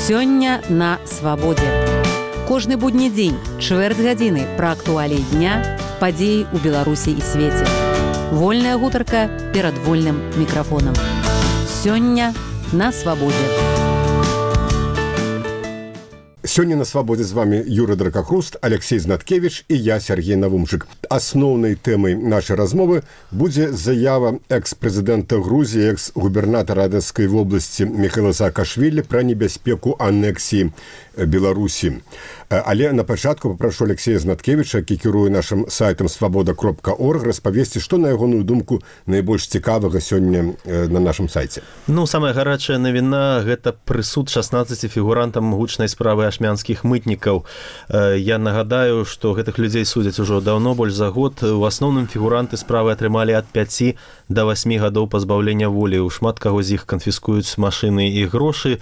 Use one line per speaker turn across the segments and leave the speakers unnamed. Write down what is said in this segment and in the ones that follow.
Сёння на свабодзе. Кожны будні дзень, чвэрць гадзіны пра актуаліі дня, падзеі ў Беларусі і свеце. Вольная гутарка перад вольным мікрафонам. Сёння на свабодзе.
Сёння на свабодзе з вами Юрий Дракохруст, Алексей Знаткевич і я, Сергей Навумчык. Асноўнай тэмай нашай размовы будзе заява экс-прэзідэнта Грузіі, экс-губернатара Одесскай вобласці Михаила Саакашвілі пра небяспеку анексіі Беларусі. Але на пачатку папрошу Алексея Знаткевича, які кіруе нашым сайтам свабода.орг, распавесці, што, на ягоную думку, найбольш цікавага сёння на нашым сайце.
Самая гарачая навіна – гэта прысуд 16 фігурантам гучнай справы ашмянскіх мытнікаў. Я нагадаю, што гэтых людзей судзяць ужо даўно, больш за год. У асноўным фігуранты справы атрымалі ад 5 да 8 гадоў пазбаўлення волі. У шмат каго з іх канфіскуюць машыны і грошы.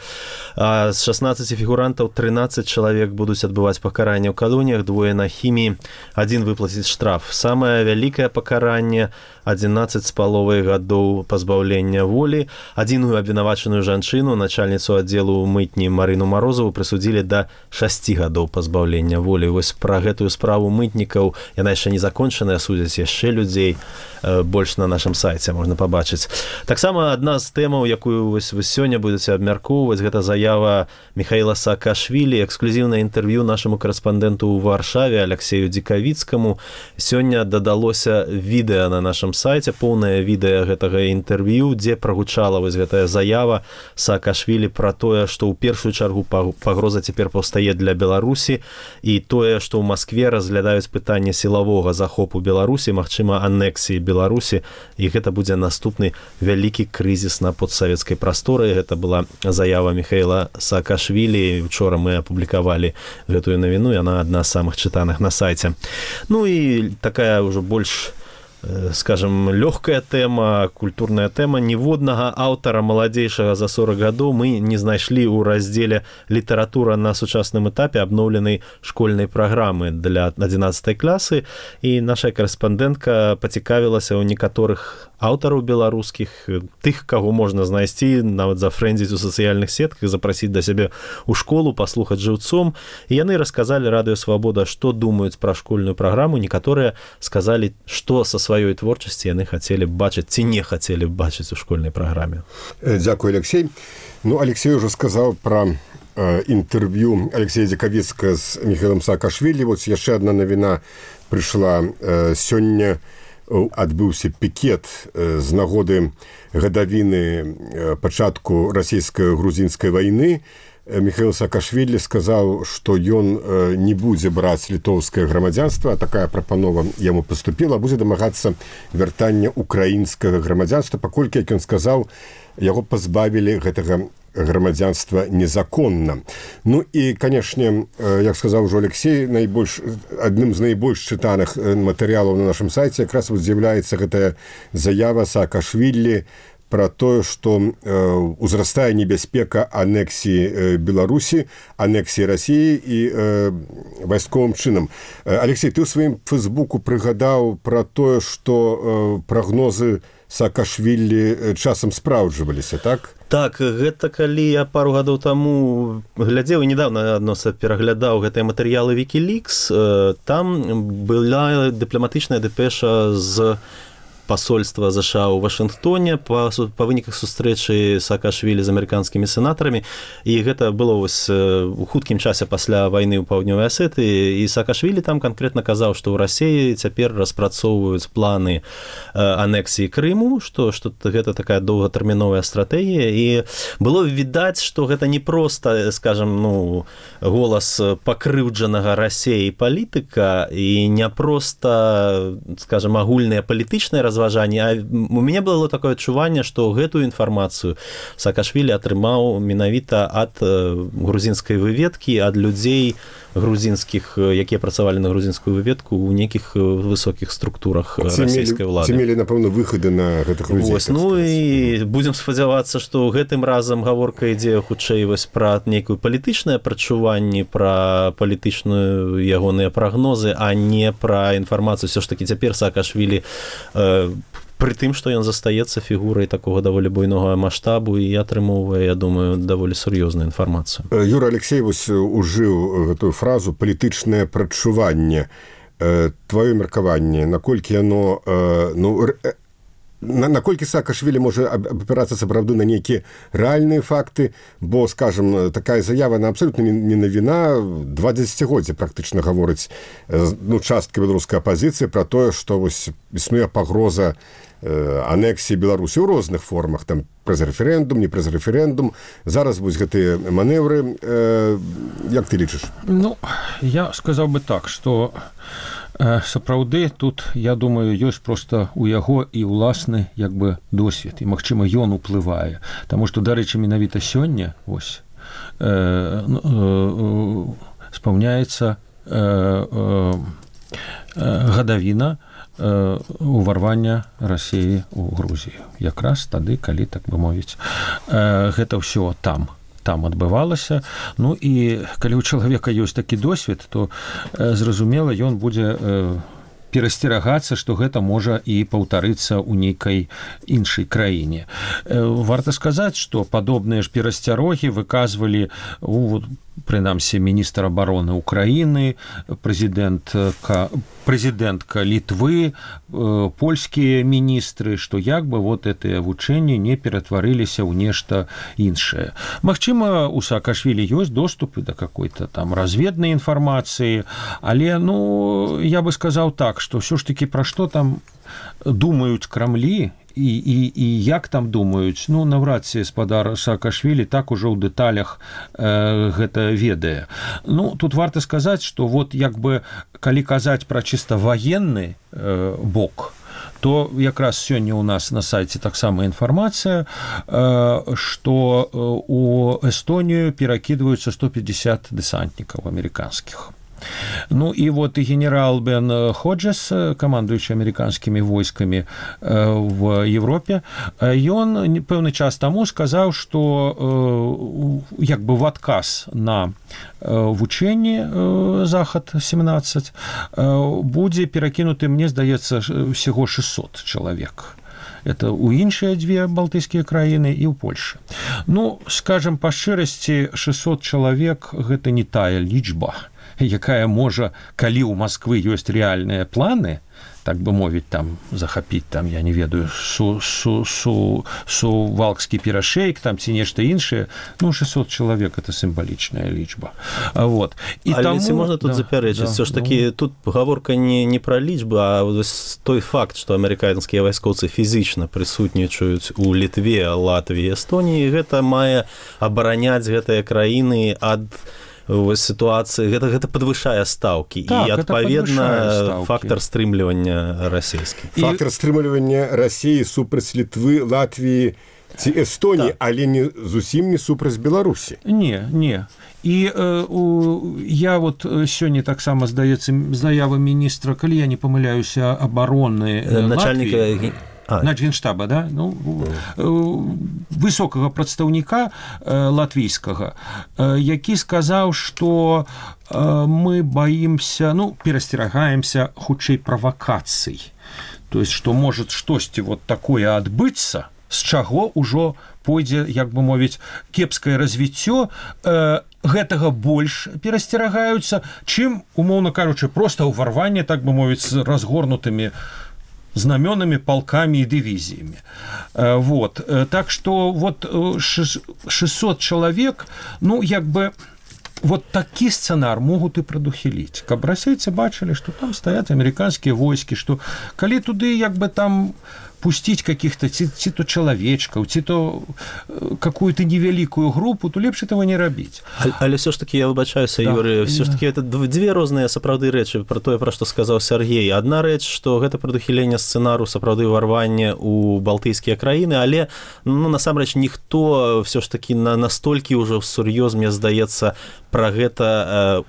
А з 16 фігурантаў 13 чалавек будуць адбываць пакаранне ў калоніях, 2 на хіміі, 1 выплаціць штраф. Самае вялікае пакаранне – 11,5 гадоў пазбаўлення волі. Адзіную абвінавачаную жанчыну, начальніцу аддзелу мытні Марыну Марозаву, прысудзілі да 6 гадоў пазбаўлення волі. Вось пра гэтую справу мытнікаў, яна яшчэ не закончаная, судзяць яшчэ людзей, больш на нашым сайце можна пабачыць. Таксама адна з тэмаў, якую вы сёння будзеце абмяркоўваць, гэта заява Михаила Саакашвілі, эксклюзіўнае інтэрв'ю нашаму карэспандэнту ў Варшаве Алексею Дзікавіцкаму. Сёння дадалося відэа на нашым сайце, поўнае відэа гэтага інтэрв'ю, дзе прагучала вось гэтая заява Саакашвілі пра тое, што ў першую чаргу пагроза цяпер паўстае для Беларусі, і тое, што ў Маскве разглядаюць пытанне сілавога захопу Беларусі, магчыма, анексіі Беларусі, і гэта будзе наступны вялікі крызіс на постсавецкай прасторы. Гэта была заява Михаила Саакашвілі. Учора мы апублікавалі гэтую навіну, яна адна з самых чытаных на сайце. І такая ўжо больш, скажем, лёгкая тэма, культурная тэма. Ніводнага аўтара маладзейшага за 40 гадоў мы не знайшлі ў раздзеле «Літаратура на сучасным этапе» абноўленай школьнай праграмы для 11 класы, і наша карэспандэнтка пацікавілася ў некаторых аўтараў беларускіх, тых, каго можна знайсці, нават зафрэндзіць у сацыяльных сетках, запрасіць да сябе ў школу, паслухаць жыўцом. І яны расказалі Радыё Свабода, што думаюць пра школьную праграму. Некаторыя сказалі, што са сваёй творчасці яны хацелі б бачыць ці не хацелі б бачыць у школьнай праграме.
Дзякуй, Алексей. Алексей ўжо сказаў пра інтэрв'ю Алексея Дзікавіцкага з Михаилом Саакашвілі. Вось яшчэ адна навіна прыйшла сёння. Адбыўся пікет з нагоды гадавіны пачатку расійска-грузінскай вайны. Михаил Саакашвілі сказаў, што ён не будзе браць літоўскае грамадзянства, а такая прапанова яму паступіла, будзе дамагацца вяртання украінскага грамадзянства, паколькі, як ён сказаў, яго пазбавілі гэтага грамадзянства незаконна. І, канешне, як сказаў ужо Алексей, адным з найбольш чытаных матэрыялаў на нашым сайце якраз з'яўляецца гэтая заява Саакашвілі пра тое, што ўзрастае небяспека анексіі Беларусі, анексіі Расіі і вайсковым чынам. Алексей, ты ў сваім фэйсбуку прыгадаў пра тое, што прагнозы Саакашвілі часам спраўджваліся, так?
Так, гэта калі я пару гадоў таму глядзеў і недавно адноса пераглядаў гэтыя матэрыялы Wikileaks, там была дыпламатычная дэпеша з пасольства ЗША ў Вашынгтоне па выніках сустрэчы Саакашвілі з амерыканскімі сенатарамі, і гэта было вось у хуткім часе пасля вайны ў Паўднёвай Асетыі, і Саакашвілі там канкрэтна казаў, што ў Расіі цяпер распрацоўваюць планы анексіі Крыму, што гэта такая доўгатэрміновая стратэгія, і было відаць, што гэта не проста, скажем, голас пакрыўджанага Расіяй палітыка і не проста, скажем, агульныя палітычныя разважанні, а у мяне было такое адчуванне, што гэтую інфармацыю Саакашвілі атрымаў менавіта ад грузінскай выведкі, ад людзей грузінскіх, якія працавалі на грузінскую выведку ў нейкіх высокіх структурах расійскай улады.
Ці мелі, напэўна, выхады на гэтых людзей.
І будзем спадзявацца, што гэтым разам гаворка ідзе хутчэй пра нейкую палітычнае прачуванне, пра палітычную ягоныя прагнозы, а не пра інфармацыю. Усё ж такі цяпер Саакашвілі пры тым, што ён застаецца фігурай такога даволі буйнога маштабу і атрымоўвае, я думаю, даволі сур'ёзную інфармацыю.
Юра Алексеевич ужыў гэтую фразу «палітычнае прадчуванне». Твоё меркаванне, наколькі яно... Наколькі Саакашвілі можа абапірацца сапраўды на нейкія рэальныя факты, бо, скажам, такая заява на абсолютна не навіна, 20 годзе практычна гаворыць частка беларускай апазіцыі пра тое, што вось існуе пагроза анексіі Беларусі ў розных формах, там праз рэферэндум, не праз рэферэндум. Зараз вось гэтыя манеўры, як ты лічыш?
Ну, я сказаў бы так, што сапраўды тут, я думаю, ёсць проста у яго і ўласны як бы досвед, і магчыма ён уплывае, таму што, дарэчы, менавіта сёння вось спаўняецца гадавіна уварвання Расіі ў Грузію. Якраз тады, калі, так бы мовіць, гэта ўсё там адбывалася. Ну і калі ў чалавека ёсць такі досвед, то зразумела, ён будзе перасцерагацца, што гэта можа і паўтарыцца ў нейкай іншай краіне. Варта сказаць, што падобныя ж перасцярогі выказвалі прынамсі міністр абароны Украіны, прэзідэнтка Літвы, польскія міністры, што як бы вот гэтыя вучэнні не ператварыліся ў нешта іншае. Магчыма, у Саакашвілі ёсць доступы да какой-то там разведнай інфармацыі, але, я бы сказаў так, што ўсё ж такі пра што там думаюць Крамлі, і як там думаюць, наўрад ці спадар Саакашвілі так ужо ў дэталях гэта ведае. Тут варта сказаць, што вот як бы калі казаць пра чыста ваенны бок, то якраз сёння ў нас на сайце таксама інфармацыя, што у Эстонію перакідваюцца 150 дэсантнікаў амерыканскіх. І вот і генерал Бен Ходжес, камандуючы амерыканскімі войскамі в Европе, ён пэўны час таму сказаў, што як бы в адказ на вучэнні Захад-17 будзе перакінуты, мне здаецца, усяго 600 чалавек. Это ў іншыя дзве балтыйскія краіны і ў Польшы. Скажам, па шчырасці, 600 чалавек – гэта не тая лічба, якая можа, калі ў Масквы ёсць рэальныя планы, так бы мовіць, там захапіць, там, я не ведаю, Сувалкскі перашэйк, там, ці нешта іншае, 600 чалавек – это сімвалічная лічба. Вот.
Але ці можна тут запярэчыць? Все ж такі, тут гаворка не пра лічбы, а той факт, што амерыканскія вайскоўцы фізічна прысутнічаюць у Літве, Латвіі, Эстоніі, гэта мае абараняць гэтыя краіны ад ситуации, гэта падвышае стаўкі, і адпаведна фактор стрымлівання расійскі.
Фактор стрымлівання Расіі супраць Літвы, Латвіі ці Эстоніі, але зусім не супраць Беларусі.
Не. І я вот сёння таксама, здаецца, заява міністра, калі я не памыляюся, абароны Латвіі, Генштаба, да? Высокага прадстаўніка латвійскага, які сказаў, што мы баімся, перасцерагаемся хутчэй правакацый. То есть, што можа штосьці вот такое адбыцца, з чаго ўжо пойдзе, як бы мовіць, кепскае развіццё, гэтага больш перасцерагаюцца, чым, умоўна кажучы, проста ўварванне, так бы мовіць, з разгорнутымі знамёнамі, палкамі і дывізіямі. Вот. Так што вот 600 чалавек, як бы вот такі сцэнар могуць і прадухіліць. Каб расейцы бачылі, што там стаяць амерыканскія войскі, што калі туды як бы там пусціць каких-то ці то чалавечкаў, ці то какую-то невялікую групу, то лепш этого не рабіць.
Але все ж таки, я выбачаюся, Юрий, все ж таки это две розныя сапраўды рэчы пра тое, пра што сказаў Сергей. Адна рэч, што гэта прадухіленне сцэнару сапраўды ўварвання ў балтыйскія краіны, але насамрэч ніхто все ж таки настолькі ўжо сур'ёз, мне здаецца, пра гэта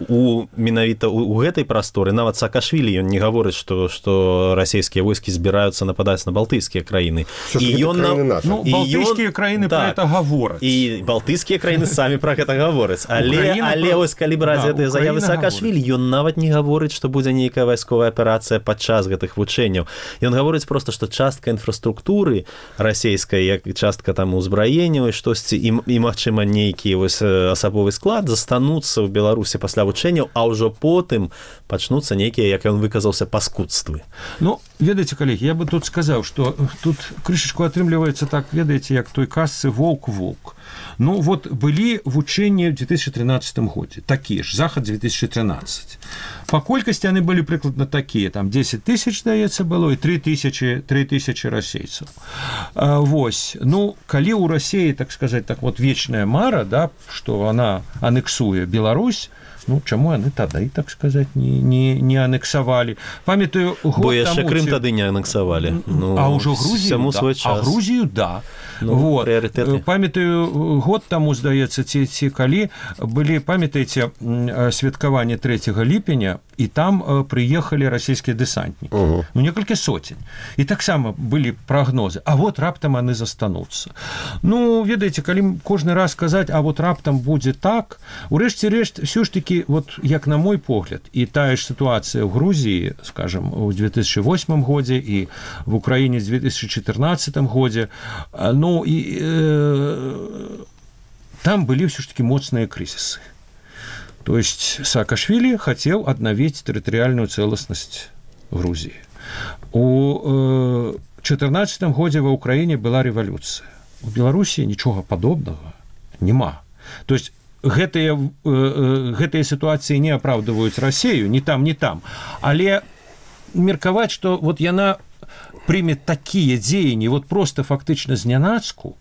менавіта у гэтай прасторы. Нават Саакашвілі ён не гаворыць, што расійскія войскі збіраюцца нападаць на балтыйскія балтыйскія краіны.
Балтыйскія краіны про это гавораць.
І балтыйскія краіны самі про гэта гавораць. Але ось калі браць гэтыя заявы Саакашвілі, ён нават не гаворыць, што будзе нейкая вайсковая аперацыя падчас гэтых вучэнняў. Ён гаворыць проста, што частка інфраструктуры расійскай, як частка там узбраенняў і штосьці, і магчыма, нейкі асабовы склад застануцца ў Беларусі пасля вучэнняў, а ўжо потым пачнуцца нейкія, як ён выказаўся, паскудствы.
Ну, ведаеце, калегі, я бы тут сказаў, што тут крышачку атрымліваецца так, ведаеце, як той казцы «Волк-волк». Ну, вот былі вучэнні ў 2013 годзе, такія ж, Захад 2013. Па колькасці яны былі прыкладна такія, там 10 тысяч, здаецца, было, і 3 тысячи расейцаў. Вось, ну, калі ў Расіі, так сказаць, так вот вечная мара, да, што она анексуе Беларусь, ну, чаму яны тады, так сказаць, не анексавалі? Памятаю, год
бо яшчэ Крым тады не анексавалі. Ну,
а ўжо Грузію, да. А Грузію, да. Ну, вот. Памятаю, год таму, здаецца, ці калі былі, памятаеце, святкаванне 3 ліпеня, і там прыехалі расійскія дэсантнікі. Ну, некалькі сотень. І таксама былі прагнозы. А вот раптам яны застануцца. Ну, ведаеце, калі кожны раз казаць, а вот раптам будзе так, урэшце рэшт, ўсё ж такі, вот, як на мой погляд, і тая ж сітуацыя ў Грузіі, скажем, у 2008 годзе і в Украіне в 2014 годзе, ну, і там былі ўсё ж такі моцныя крызісы. То есть Саакашвілі хацеў аднавіць тэрытарыяльную цэласнасць Грузіі. У 2014 годзе ва Ўкраіне была рэвалюцыя. У Беларусі нічога падобнага няма. То есть гэтыя сітуацыі не апраўдваюць Расію, ні там, ні там. Але меркаваць, што вот яна прыме такія дзеянні, вот просто фактычна знянацку,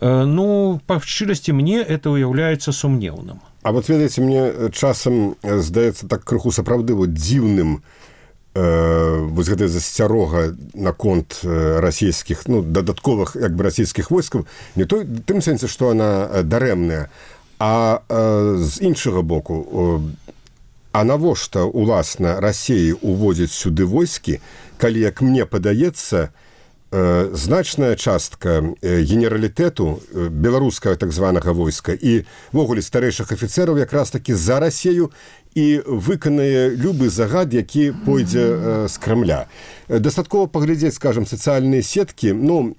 ну, па шчырасці, мне это уяўляецца сумнеўным.
А вот, ведаеце, мне часам здаецца так крыху сапраўды вот дзіўным вось гэтая засцярога наконт расійскіх, ну, дадатковых, як бы, расійскіх войскаў, не той, тым сэнсе, што она дарэмная, а з іншага боку, а навошта, уласна, Расіі уводзіць сюды войскі, калі, як мне падаецца, значная частка генералітэту беларускага так званага войска і ввогуле старэйшых афіцэраў якраз такі за Расію і выканае любы загад, які пойдзе з Крамля. Дастаткова паглядзець, скажам, сацыяльныя сеткі, ну,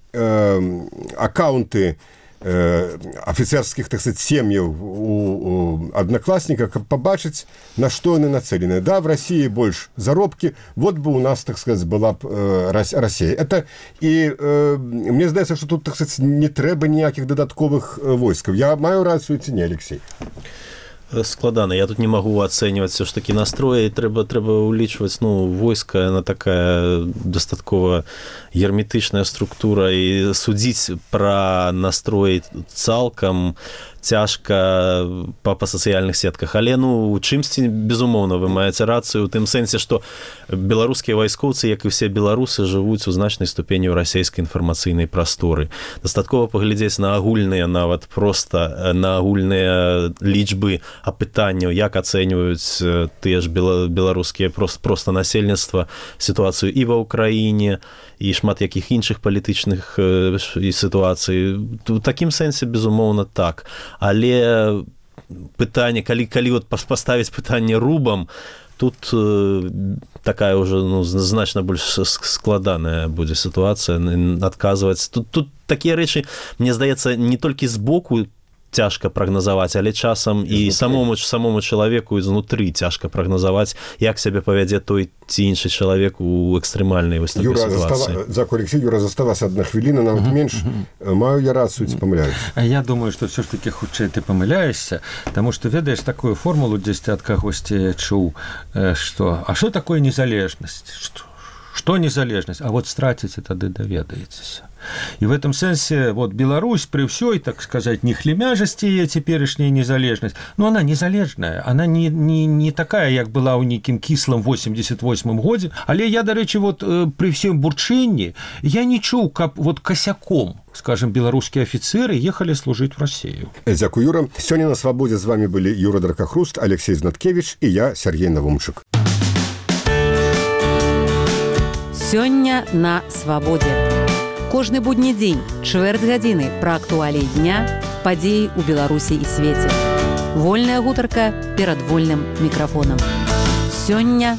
аккаунты афіцэрскіх, так сказать, сем'яў у аднакласніках, каб пабачыць, на што яны нацелены. Да, в России больш заробкі, вот бы у нас, так сказать, была б Россия. Это і мне здаецца, што тут, так сказать, не трэба ніякіх дадатковых войскаў. Я маю рацыю ці не, Алексей?
Складана. Я тут не могу оценивать все ж таки настрои. Трэба улічваць, ну, войска, она такая дастаткова герметычная структура, і судзіць пра настрой цалкам цяжка па сацыяльных сетках. Але, ну, у чымсьці, безумоўна, вы маеце рацыю ў тым сэнсе, што беларускія вайскоўцы, як і все беларусы, жывуць у значнай ступені ў расійскай інфармацыйнай прасторы. Дастаткова паглядзець на агульныя, нават проста на агульныя лічбы апытанняў, як ацэньваюць тыя ж беларускія проста насельніцтва сітуацыю і ва Ўкраіне, і шмат якіх іншых палітычных сітуацый. У такім сэнсе, безумоўна, так. Але пытанне, калі вот паставіць пытанне рубам, тут такая ўжо, ну, значна больш складаная будзе сітуацыя, адказваць. Тут такія рэчы, мне здаецца, не толькі з боку цяжка прагназаваць, але часам і самому чалавеку знутры цяжка прагназаваць, як сябе павядзе той ці іншы чалавек у экстрэмальнай вось такой сітуацыі.
Дзякуй, Алексей. Юра, засталася адна хвіліна, нават менш. Маю я рацыю, ці памыляюсь?
Я думаю, што ўсё ж такі хутчэй ты памыляешся, таму што ведаеш такую формулу дзесьці ад кагосьці чуў, што а што такое незалежнасць? Што незалежнасць? А вот страціце, тады даведаецеся. И в этом сенсе вот Беларусь при всей, так сказать, нехлемяжести ее теперешняя незалежность, но она незалежная, она не такая, як была у неким кислом 88 году, але я, до речи, вот при всем бурчении, я не чуў, каб вот косяком, скажем, белорусские офицеры ехали служить в Россию.
Дякую, Юра. Сегодня на «Свободе» с вами были Юра Дракохруст, Алексей Знаткевич и я, Сергей Навумчик.
Сёння на свабодзе. Кожны будні дзень, чвэрць гадзіны пра актуаліі дня, падзеі ў Беларусі і свеце. Вольная гутарка перад вольным мікрафонам. Сёння